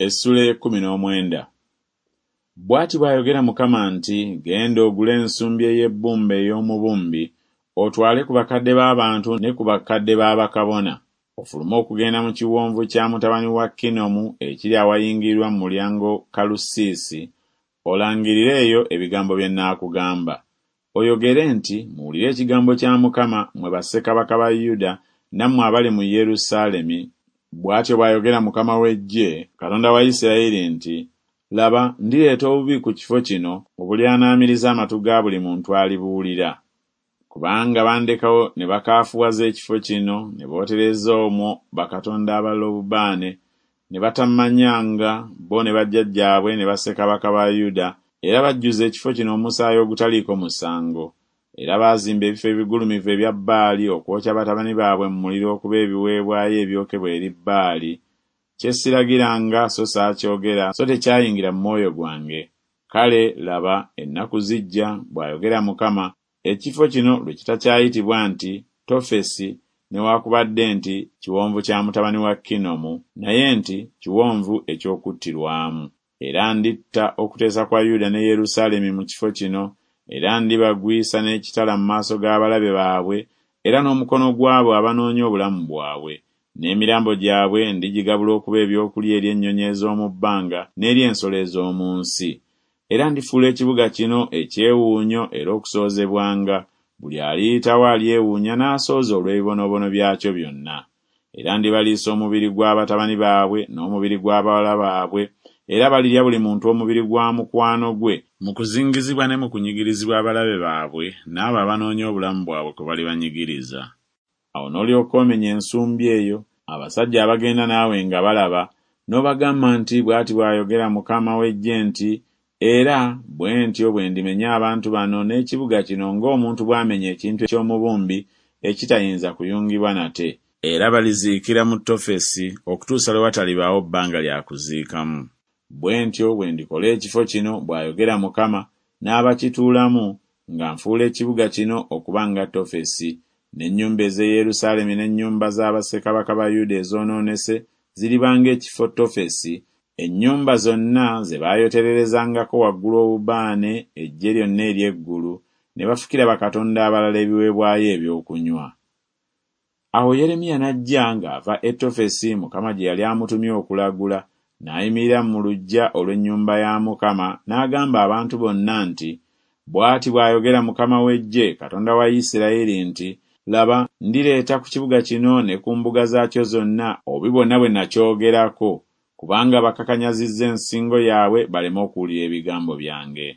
Essuula ey'ekkumi n'omwenda. Bw'ati bw'ayogera Mukama nti, Genda ogule ensumbi ey'ebbumba ey'omubumbi, otwale ku bakadde b'abantu ne ku bakadde ba bakabona, ofulume okugenda mu kiwonvu kya mutabani wa Kinomu ekiri awayingirirwa mu mulyango Kalusiisi, olangirire eyo ebigambo bye nnaakugamba. Oyogere nti, Muwulire ekigambo kya Mukama, mmwe bassekabaka ba Yuda, nammwe abali mu Yerusaalemi, Bw'atyo bw'ayogera Mukama w'eggye, Katonda wa Isirayiri nti, Laba, ndireeta obubi ku kifo kino obulyanaamiriza amatu ga buli muntu alibuwulira. Kubanga bandekawo ne bakaafuwaza ekifo kino, ne bootereza omwo bakatonda abalala obubaane, ne batammanyanga, bo ne bajjajjaabwe ne bassekabaka ba Yuda, era bajjuza ekifo kino omusaayi ogutaliiko musango. Era baazimba ebifo ebigulumivu ebya Baali okwokya batabani baabwe mu muliro okuba ebiweebwayo ebyokebwa eri Baali, kye siragiranga so saakyogera so tekyayingira mu mwoyo gwange. Kale, laba, ennaku zijja, bw'ayogera Mukama, ekifo kino lwe kitakyayitibwa nti Tofesi newakubadde nti Kiwonvu kya mutabani wa Kinomu, naye nti Kiwonvu eky'Okuttirwamu. Era nditta okuteesa kwa Yuda ne Yerusaalemi mu kifo kino, era ndibagwisa n'ekitala mu maaso g'abalabe baabwe era n'omukono gw'abo abanoonya obulamu bwabwe, n'emirambo gyabwe ndigigabula okuba ebyokulya eri ennyonyi ez'omu bbanga n'eri ensolo ez'omu nsi. Era ndifuula ekibuga kino ekyewuunyo era okusoozebwanga, buli aliyitawo alyewuunya n'asooza olw'ebibonoobono byakyo byonna. Era ndibaliisa omubiri gwa batabani baabwe n'omubiri gwa bawala baabwe, era balirya buli muntu omubiri gwa mukwano gwe, mu kuzingizibwa ne mu kunyigirizibwa abalabe baabwe n'abo abanoonya obulamu bwabwe kwe balibanyigiriza. Awo n'olyoka omenya ensumbi eyo, abasajja abagenda naawe nga balaba, n'obagamba nti Bw'ati bw'ayogera Mukama w'eggye nti Era bwe ntyo bwe ndimenya abantu bano n'ekibuga kino ng'omuntu bw'amenya ekintu eky'omubumbi ekitayinza kuyungibwa nate. Era baliziikira mu Tofesi okutuusa lwe watalibaawo bbanga lya kuziikamu. Bwe ntyo bwe ndikola ekifo kino, bw'ayogera Mukama, n'abakituulamu, nga nfuula ekibuga kino okuba nga Tofesi, n'ennyumba ez'e Yerusaalemi n'ennyumba za bassekabaka ba Yuda ezoonoonese ziriba ng'ekifo Tofesi, ennyumba zonna ze baayotererezangako waggulu obubaane eggye lyonna ery'eggulu, ne bafukira bakatonda abalala ebiweebwayo eby'okunywa. Awo Yeremiya n'ajja ng'ava e Tofesi Mukama gye yali amutumye okulagula, n'ayimirira mu luggya olw'ennyumba ya Mukama n'agamba abantu bonna nti, Bw'ati bw'ayogera Mukama w'eggye, Katonda wa Isirayiri nti, Laba, ndireeta ku kibuga kino ne ku mbuga zaakyo zonna obubi bwonna bwe nakyogerako, kubanga bakakanyazizza ensingo yaabwe baleme okuwulira ebigambo byange.